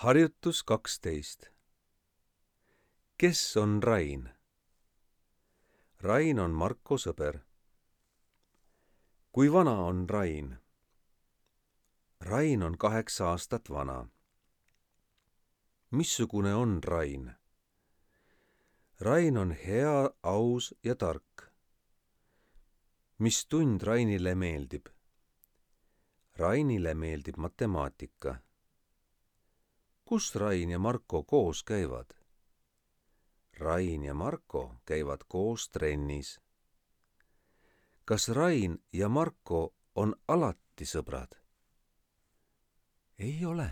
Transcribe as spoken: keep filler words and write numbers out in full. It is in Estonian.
Harjutus kaksteist. Kes on Rain? Rain on Marko sõber. Kui vana on Rain? Rain on kaheksa aastat vana. Missugune on Rain? Rain on hea, aus ja tark. Mis tund Rainile meeldib? Rainile meeldib matemaatika. Kus Rain ja Marko koos käivad? Rain ja Marko käivad koos trennis. Kas Rain ja Marko on alati sõbrad? Ei ole.